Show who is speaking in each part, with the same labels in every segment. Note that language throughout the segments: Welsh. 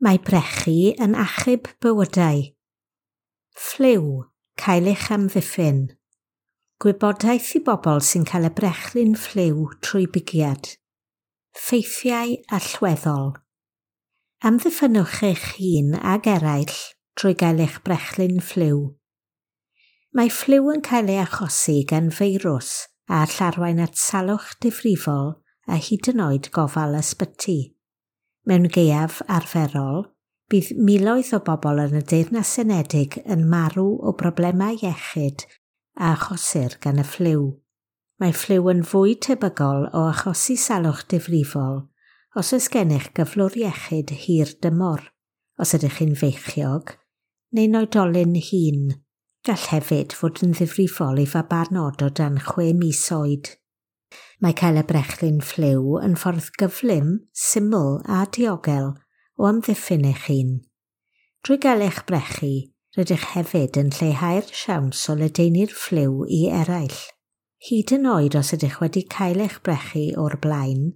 Speaker 1: Mae brechu yn achub bywydau. Ffliw, cael eich amddiffyn. Gwybodaeth i bobl sy'n cael y brechlyn ffliw trwy bigiad. Ffeithiau allweddol. Amddiffynnwch eich hun ag eraill trwy gael eich brechlyn ffliw. Mae ffliw yn cael ei achosi gan feirws a all arwain at salwch difrifol a hyd yn oed gofal ysbyty. Mewn gaeaf arferol, bydd miloedd o bobl yn y Deyrnas Unedig yn marw o broblemau iechyd a achosir gan y ffliw. Mae ffliw yn fwy tebygol o achosi salwch difrifol os oes gennych gyflwr iechyd hir dymor, os ydych chi'n feichiog, neu'n oedolyn hŷn. Gall hefyd fod yn ddifrifol i fabanod o dan 6 mis oed. Mae cael y brechlyn ffliw yn ffordd gyflym, syml a diogel o amddiffyn eich hun. Drwy gael eich brechu, rydych hefyd yn lleihau'r siawns o ledaenu'r ffliw i eraill. Hyd yn oed os ydych wedi cael eich brechu o'r blaen,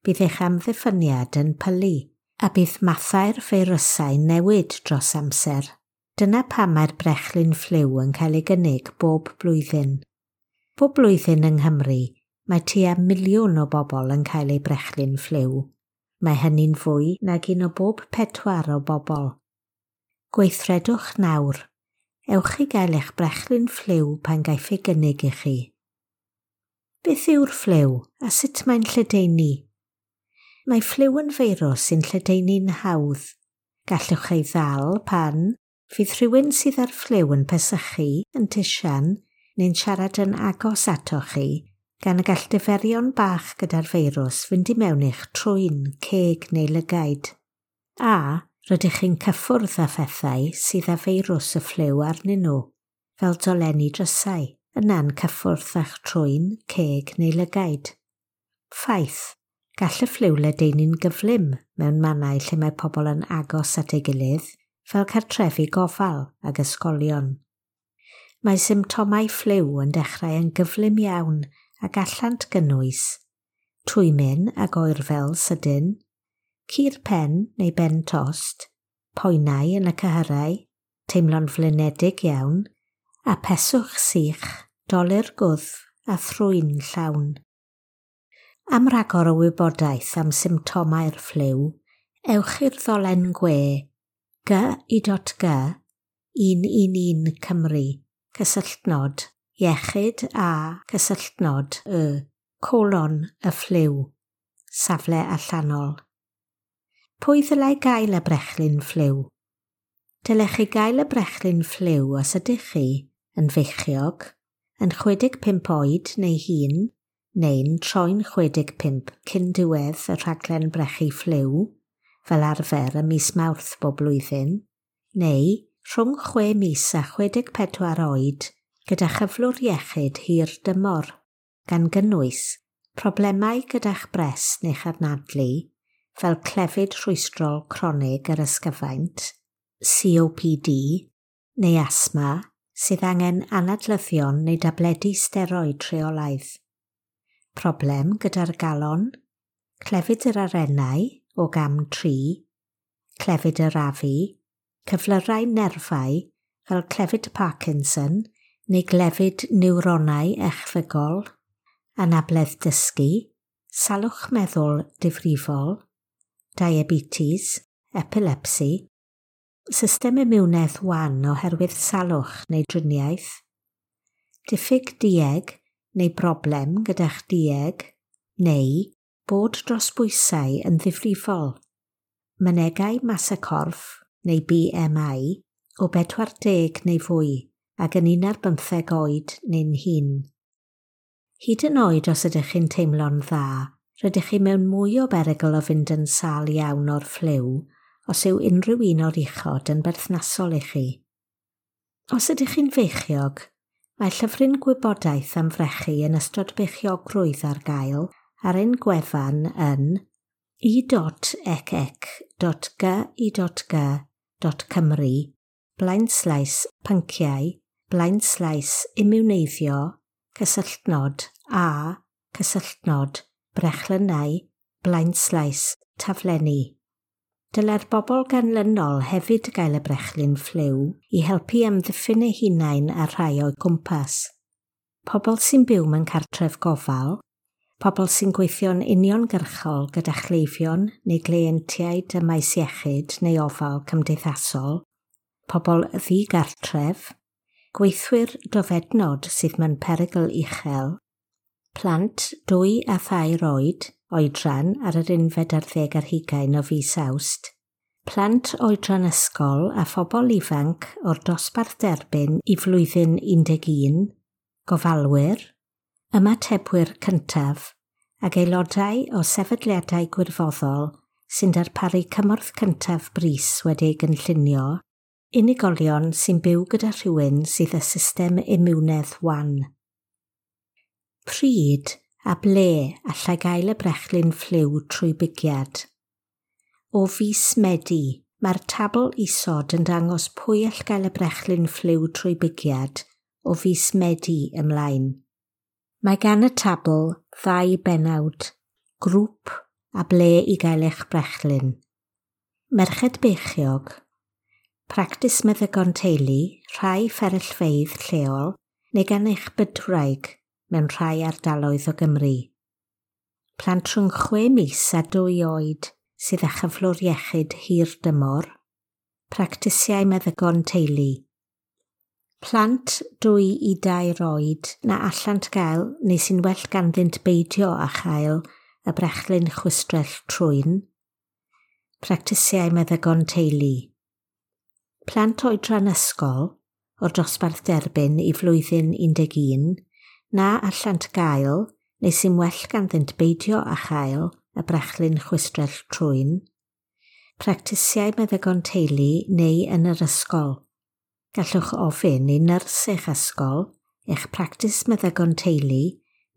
Speaker 1: bydd eich amddiffyniad yn pylu, a bydd mathau'r feirysau newid dros amser. Dyna pam mae'r brechlyn ffliw yn cael ei gynnig bob blwyddyn. Bob blwyddyn yng Nghymru, mae tua 1 miliwn o bobl yn cael eu brechlyn ffliw. Mae hynny'n fwy nag un o bob pedwar o bobl. Gweithredwch nawr. Ewch i gael eich brechlyn ffliw pan gaiff ei gynnig i chi. Beth yw'r ffliw a sut mae'n lledaenu? Mae ffliw yn feirws sy'n lledaenu'n hawdd. Gallwch ei ddal pan fydd rhywun sydd â'r ffliw yn pesychu, yn tisian, neu'n siarad yn agos atoch chi, gan y gall diferion bach gyda'r feirws fynd i mewn i'ch trwyn, ceg neu lygaid. A rydych chi'n cyffwrdd â phethau sydd â feirws y ffliw arnyn nhw, fel dolenni drysau, yna'n cyffwrdd â'ch trwyn, ceg neu lygaid. Ffaith, gall y ffliw ledaenu'n gyflym mewn mannau lle mae pobl yn agos at ei gilydd, fel cartrefi gofal ag ysgolion. Mae symptomau ffliw yn dechrau yn gyflym iawn a gallant gynnwys twymyn ag oerfel sydyn, cur pen neu ben tost, poenau yn y cyhyrau, teimlo'n flinedig iawn, a peswch sych, dolur gwddf a thrwyn llawn. Am ragor o wybodaeth am symptomau'r ffliw, ewch i'r ddolen gwe gi.g 111 Cymru, cysylltnod, iechyd a cysylltnod y, colon y ffliw, safle allanol. Pwy ddylai gael y brechlyn ffliw? Dylech chi gael y brechlyn ffliw os ydych chi yn feichiog, yn 65 oed neu hŷn, neu'n troi'n 65 cyn diwedd y rhaglen brechu ffliw, fel arfer ym mis Mawrth bob blwyddyn, neu rhwng 6 mis a 64 oed gyda chyflwr iechyd hir dymor, gan gynnwys problemau gyda'ch brest neu'ch anadlu, fel clefyd rhwystrol cronig yr ysgyfaint, COPD, neu asthma, sydd angen anadlyddion neu dabledi steroid rheolaidd. Problem gyda'r galon, clefyd yr arennau o gam 3, clefyd yr afu, cyflyrau nerfau fel clefyd Parkinson neu glefyd niwronau echddygol, anabledd dysgu, salwch meddwl difrifol, diabetes, epilepsi, system imiwnedd wan oherwydd salwch neu driniaeth, diffyg dueg neu broblem gyda'ch dueg, neu bod dros bwysau yn ddifrifol, mynegai mas y corff neu BMI o 40 neu fwy ac yn 15 oed neu'n hŷn. Hyd yn oed os ydych chi'n teimlo'n dda, rydych chi mewn mwy o berygl o fynd yn sâl iawn o'r ffliw os yw unrhyw un o'r uchod yn berthnasol i chi. Os ydych chi'n feichiog, mae llyfryn gwybodaeth am frechu yn ystod beichiogrwydd ar gael ar ein gwefan yn e.ecc.gi.g.cymru blaenslaes pynciau blaenslaes imiwneiddio cysylltnod a cysylltnod brechlynnau blaenslaes taflenni. Dylai'r bobl ganlynol hefyd gael y brechlyn ffliw i helpu amddiffyn eu hunain a rhai o'u cwmpas. Pobl sy'n byw mewn cartref gofal, pobl sy'n gweithio'n uniongyrchol gyda chleifion neu gleientiaid ym maes iechyd neu ofal cymdeithasol, pobl ddigartref, gweithwyr dofednod sydd mewn perygl uchel, plant 2 a 3 oed, oedran ar yr 21 o fis Awst, plant oedran ysgol a phobl ifanc o'r dosbarth derbyn i flwyddyn 11, gofalwyr, ymatebwyr cyntaf ac aelodau o sefydliadau gwirfoddol sy'n darparu cymorth cyntaf brys wedi ei gynllunio, unigolion sy'n byw gyda rhywun sydd â system imiwnedd wan. Pryd a ble allai gael y brechlyn ffliw trwy bigiad? O fis Medi, mae'r tabl isod yn dangos pwy all gael y brechlyn ffliw trwy bigiad o fis Medi ymlaen. Mae gan y tabl ddau bennawd, grŵp a ble i gael eich brechlyn. Merched beichiog, practis meddygon teulu, rhai fferyllfeydd lleol neu gan eich bydwraig mewn rhai ardaloedd o Gymru. Plant rhwng 6 mis a 2 oed sydd â chyflwr iechyd hir dymor, practisiau meddygon teulu. Plant 2 i 3 oed na allant gael neu sy'n well ganddynt beidio â chael y brechlyn chwistrell trwyn, practisiau meddygon teulu. Plant oedran ysgol o'r dosbarth derbyn i flwyddyn 11 na allant gael neu sy'n well ganddynt beidio â chael y brechlyn chwistrell trwyn, practisiau meddygon teulu neu yn yr ysgol. Gallwch ofyn i nyrs eich ysgol, eich practis meddygon teulu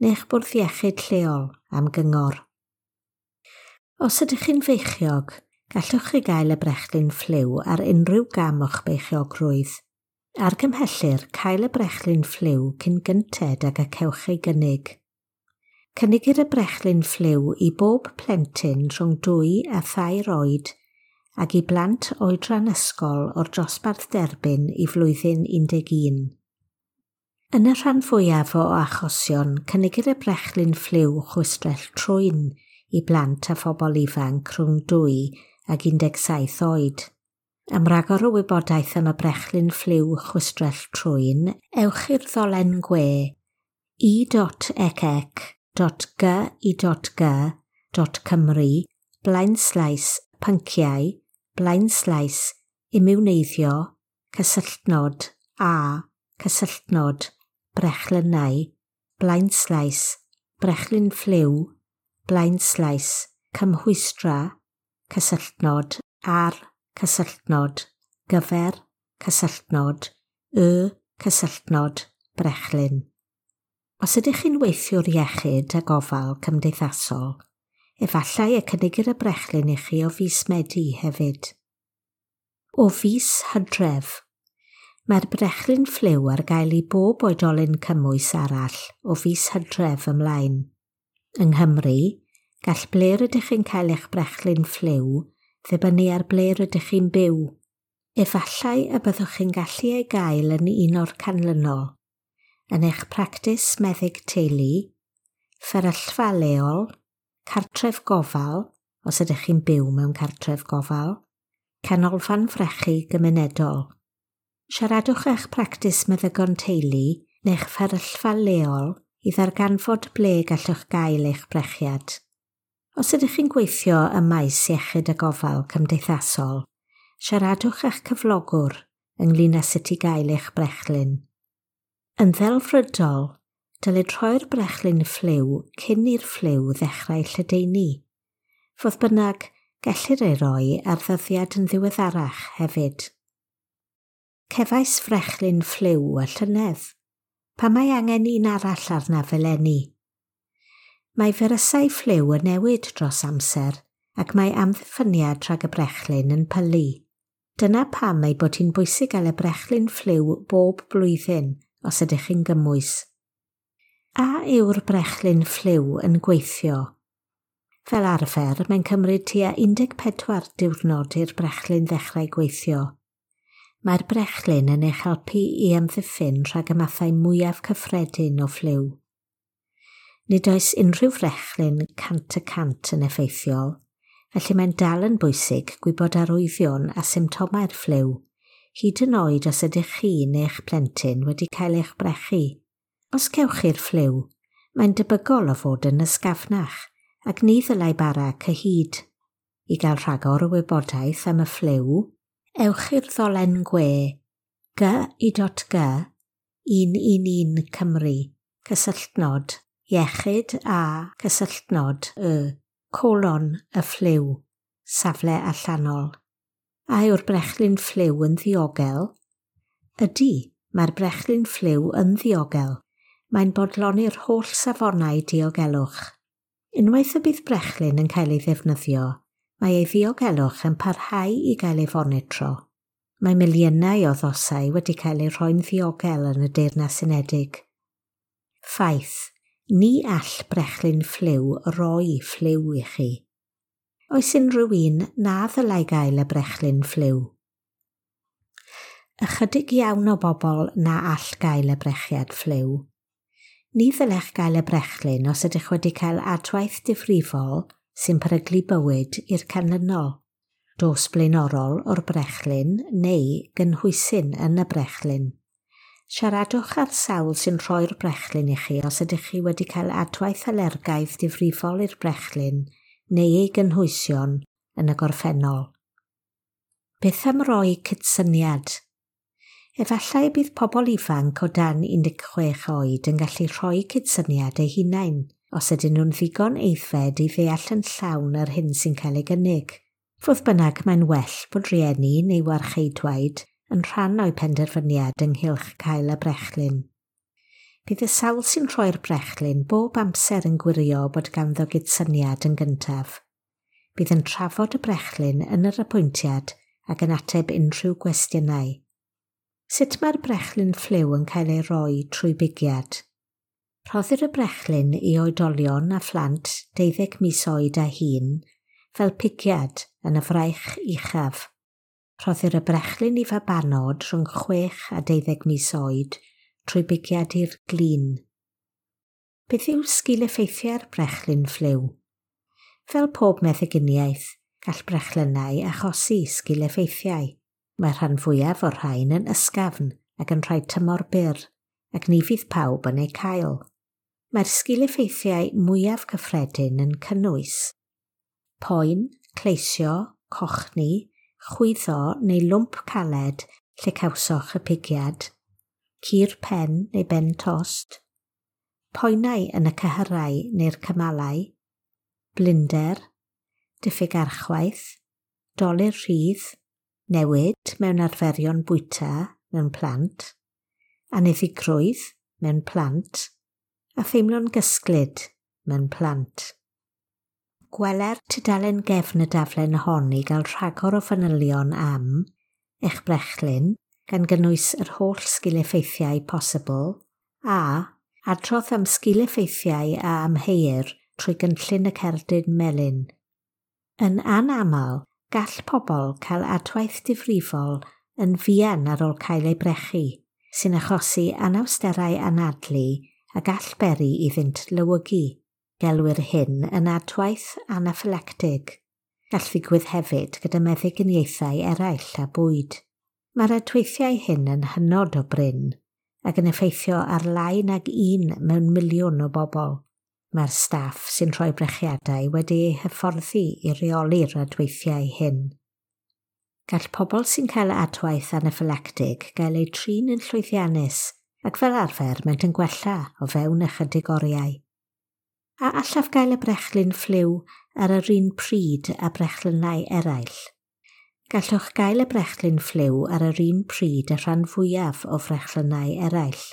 Speaker 1: neu eich bwrdd iechyd lleol am gyngor. Os ydych chi'n feichiog, gallwch chi gael y brechlyn ffliw ar unrhyw gam o'ch beichiogrwydd. Argymhellir cael y brechlyn ffliw cyn gynted ag y cewch ei gynnig. Cynigir y brechlyn ffliw i bob plentyn rhwng 2 a 3 oed ac i blant oedran ysgol o'r dosbarth derbyn i flwyddyn 11. Yn y rhan fwyaf o achosion, cynigir y brechlyn ffliw chwistrell trwyn i blant a phobl ifanc rhwng 2 ac 17 oed. Am ragor o wybodaeth am y brechlyn ffliw chwistrell trwyn, ewch i'r ddolen gwe e.ecec.gy.g.cymru /pynciau /imiwneiddio cysylltnod a cysylltnod brechlynnau /brechlyn ffliw /cymhwystra cysylltnod ar cysylltnod gyfer cysylltnod y cysylltnod brechlyn. Os ydych chi'n weithiwr iechyd a gofal cymdeithasol, efallai y cynigir y brechlyn i chi o fis Medi hefyd. O fis Hydref, mae'r brechlyn ffliw ar gael i bob oedolyn cymwys arall o fis Hydref ymlaen. Yng Nghymru, gall ble rydych chi'n cael eich brechlyn ffliw ddibynnu ar ble rydych chi'n byw. Efallai y byddwch chi'n gallu ei gael yn un o'r canlynol, yn eich practis meddyg teulu, fferyllfa leol, cartref gofal, os ydych chi'n byw mewn cartref gofal, canolfan frechu gymunedol. Siaradwch eich practis meddygon teulu neu'ch fferyllfa leol i ddarganfod ble gallwch gael eich brechiad. Os ydych chi'n gweithio ym maes iechyd a gofal cymdeithasol, siaradwch â'ch cyflogwr ynglyn â sut i gael eich brechlyn. Yn ddelfrydol, dylid rhoi'r brechlyn ffliw cyn i'r ffliw ddechrau lledaenu. Fodd bynnag, gellir ei roi ar ddyddiad yn ddiweddarach hefyd. Cefais frechlyn ffliw y llynedd. Pam mae angen un arall arnaf eleni? Mae firysau ffliw yn newid dros amser ac mae amddiffyniad rhag y brechlyn yn pylu. Dyna pam ei bod hi'n bwysig gael y brechlyn ffliw bob blwyddyn os ydych chi'n gymwys. A yw'r brechlyn ffliw yn gweithio? Fel arfer, mae'n cymryd tua 14 diwrnod i'r brechlyn ddechrau gweithio. Mae'r brechlyn yn eich helpu i amddiffyn rhag y mathau mwyaf cyffredin o ffliw. Nid oes unrhyw frechlyn 100% yn effeithiol, felly mae'n dal yn bwysig gwybod arwyddion a symptomau'r ffliw, hyd yn oed os ydych chi neu'ch plentyn wedi cael eich brechu. Os cewch chi'r ffliw, mae'n debygol o fod yn ysgafnach ac ni ddylai bara cyhyd. I gael rhagor o wybodaeth am y ffliw, ewch i'r ddolen gwe gy.g 111 Cymru, cysylltnod, iechyd a cysylltnod y, colon y ffliw, safle allanol. A yw'r brechlyn ffliw yn ddiogel? Ydy, mae'r brechlyn ffliw yn ddiogel. Mae'n bodloni'r holl safonau diogelwch. Unwaith y bydd brechlyn yn cael ei ddefnyddio, mae ei ddiogelwch yn parhau i gael ei fonitro. Mae miliynau o ddosau wedi cael eu rhoi'n ddiogel yn y Deyrnas Unedig. Ffaith, ni all brechlyn ffliw roi ffliw i chi. Oes unrhyw un na ddylai gael y brechlyn ffliw? Ychydig iawn o bobl na all gael y brechiad ffliw. Ni ddylech gael y brechlyn os ydych wedi cael adwaith difrifol sy'n peryglu bywyd i'r canlynol, dos blaenorol o'r brechlyn neu gynhwysyn yn y brechlyn. Siaradwch â'r sawl sy'n rhoi'r brechlyn i chi os ydych chi wedi cael adwaith alergaidd difrifol i'r brechlyn neu ei gynhwysion yn y gorffennol. Beth am roi cydsyniad? Efallai bydd pobl ifanc o dan 16 oed yn gallu rhoi cydsyniad eu hunain os ydyn nhw'n ddigon aeddfed i ddeall yn llawn yr hyn sy'n cael ei gynnig. Fodd bynnag, mae'n well bod rieni neu warcheidwaid yn rhan o'u penderfyniad ynghylch cael y brechlyn. Bydd y sawl sy'n rhoi'r brechlyn bob amser yn gwirio bod ganddo gydsyniad yn gyntaf. Bydd yn trafod y brechlyn yn yr apwyntiad ac yn ateb unrhyw gwestiynau. Sut mae'r brechlyn ffliw yn cael ei roi trwy bigiad? Rhoddir y brechlyn i oedolion a phlant 12 mis oed a hŷn fel pigiad yn y fraich uchaf. Rhoddir y brechlyn i fabanod rhwng 6 a 12 mis oed trwy bigiad i'r glin. Beth yw sgil-effeithiau'r brechlyn ffliw? Fel pob meddyginiaeth, gall brechlynnau achosi sgil-effeithiau. Mae'r rhan fwyaf o'r rhain yn ysgafn ac yn rhai tymor byr, ac ni fydd pawb yn eu cael. Mae'r sgil-effeithiau mwyaf cyffredin yn cynnwys poen, cleisio, cochni, chwyddo neu lwmp caled lle cawsoch y pigiad, cur pen neu ben tost, poenau yn y cyhyrau neu'r cymalau, blinder, diffyg archwaith, dolur rhydd, newid mewn arferion bwyta mewn plant, aniddigrwydd mewn plant, a theimlo'n gysglyd mewn plant. Gweler tudalen gefn y daflen hon i gael rhagor o fanylion am eich brechlyn, gan gynnwys yr holl sgil-effeithiau posibl, a adrodd am sgil-effeithiau a amheuir trwy gynllun y cerdyn melyn. Yn anaml, gall pobl cael adwaith difrifol yn fuan ar ôl cael eu brechu, sy'n achosi anawsterau anadlu a gall beri iddynt lywygu. Gelwir hyn yn adwaith anaffylactig. Gall ddigwydd hefyd gyda meddyginiaethau eraill a bwyd. Mae'r adweithiau hyn yn hynod o brin ac yn effeithio ar lai nag 1 mewn miliwn o bobl. Mae'r staff sy'n rhoi brechiadau wedi eu hyfforddi i reoli'r adweithiau hyn. Gall pobl sy'n cael adwaith anaffylactig gael eu trin yn llwyddiannus ac fel arfer maent yn gwella o fewn ychydig oriau. A allaf gael y brechlyn ffliw ar yr un pryd a brechlynnau eraill? Gallwch gael y brechlyn ffliw ar yr un pryd y rhan fwyaf o frechlynnau eraill.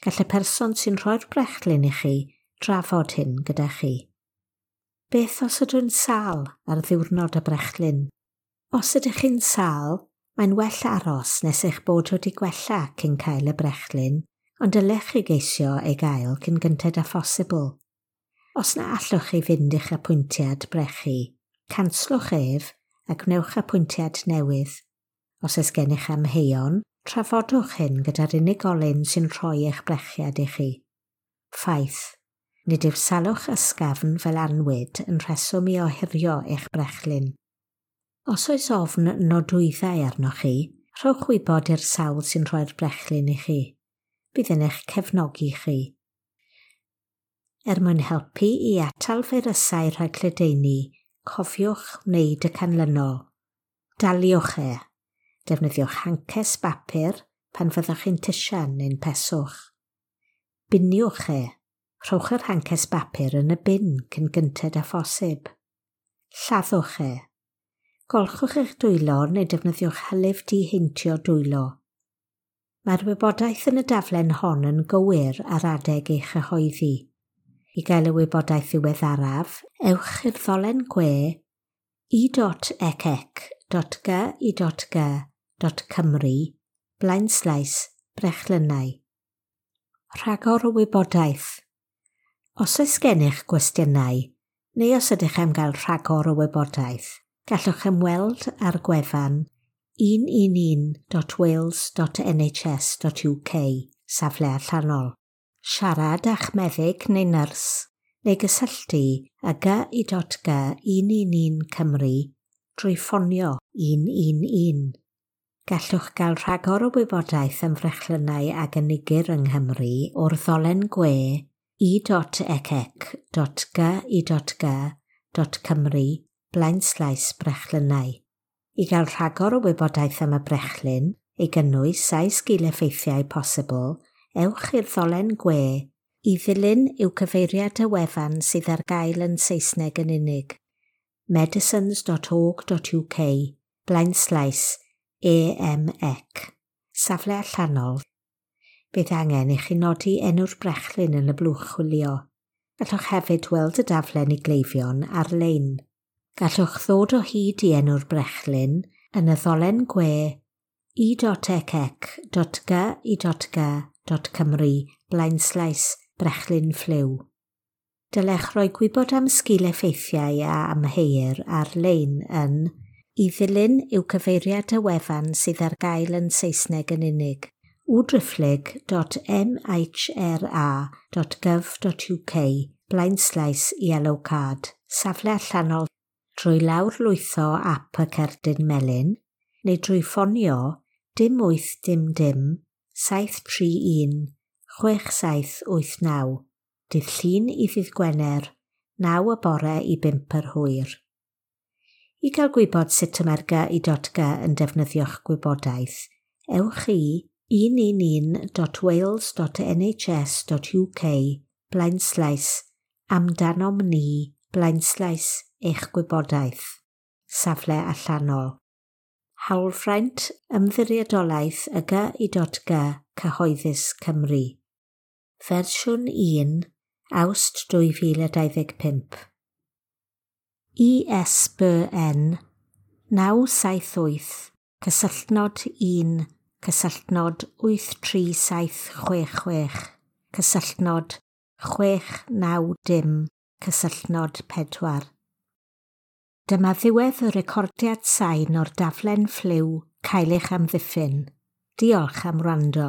Speaker 1: Gall y person sy'n rhoi'r brechlyn i chi drafod hyn gyda chi. Beth os ydw i'n sâl ar ddiwrnod y brechlyn? Os ydych chi'n sâl, mae'n well aros nes eich bod wedi gwella cyn cael y brechlyn, ond dylech chi geisio ei gael cyn gynted â phosibl. Os na allwch chi fynd i'ch apwyntiad brechu, canslwch ef a gwnewch apwyntiad newydd. Os oes gennych amheuon, trafodwch hyn gyda'r unigolyn sy'n rhoi eich brechiad i chi. Ffaith. Nid yw salwch ysgafn fel anwyd yn rheswm i ohirio eich brechlyn. Os oes ofn nodwyddau arnoch chi, rhowch wybod i'r sawl sy'n rhoi'r brechlyn i chi. Bydd yn eich cefnogi chi. Er mwyn helpu i atal feirysau rhag lledaenu, cofiwch wneud y canlynol. Daliwch e. Defnyddiwch hances bapur pan fyddwch chi'n tisian neu'n peswch. Biniwch e. Rhowch yr hances bapur yn y bin cyn gynted â phosib. Lladdwch e. Golchwch eich dwylo neu defnyddiwch hylif diheintio dwylo. Mae'r wybodaeth yn y daflen hon yn gywir ar adeg ei chyhoeddi. I gael y wybodaeth ddiweddaraf, ewch i'r ddolen gwe e.ecec.gy.g.cymru blaenslaes brechlynnau. Rhagor o wybodaeth. Os oes gennych gwestiynau, neu os ydych am gael rhagor o wybodaeth, gallwch ymweld â'r gwefan 111.wales.nhs.uk, safle allanol. Siarad â'ch meddyg neu nyrs, neu gysylltu â gy.g 111 Cymru drwy ffonio 111. Gallwch gael rhagor o wybodaeth am frechlynnau a gynigir yng Nghymru o'r ddolen gwe e.ecec.gy.g.cymru blaenslaes brechlynnau. I gael rhagor o wybodaeth am y brechlyn, ei gynnwys a'i sgil-effeithiau posibl, ewch i'r ddolen gwe i ddilyn yw cyfeiriad y wefan sydd ar gael yn Saesneg yn unig. medicines.org.uk blaenslaes EMEC. Safle allanol. Bydd angen i chi nodi enw'r brechlyn yn y blwch chwilio. Gallwch hefyd weld y daflen i gleifion ar-lein. Gallwch ddod o hyd i enw'r brechlyn yn y ddolen gwe e.ecec.gy.g.cymru blaenslaes brechlyn ffliw. Dylech roi gwybod am sgil-effeithiau a amheuir ar-lein yn i ddilyn yw cyfeiriad y wefan sydd ar gael yn Saesneg yn unig www.mhra.gov.uk blaenslaes yellow card, safle allanol drwy lawrlwytho ap y cerdyn melyn neu drwy ffonio 0 8 dim dim 731 6789, dydd Llun i ddydd Gwener, 9 y bore i 5 yr hwyr. I gael gwybod sut y mae'r gy.g yn defnyddio'ch gwybodaeth, ewch i 111.wales.nhs.uk blaenslaes amdanom ni blaenslaes eich gwybodaeth. Safle allanol. Hawlfraint Ymddiriedolaeth y gy.g Cyhoeddus Cymru. Fersiwn 1, Awst 2025. ISBN 978 cysylltnod 1 cysylltnod 83766 cysylltnod 690 cysylltnod 4. Dyma ddiwedd y recordiad sain o'r daflen ffliw Cael eich amddiffyn. Diolch am wrando.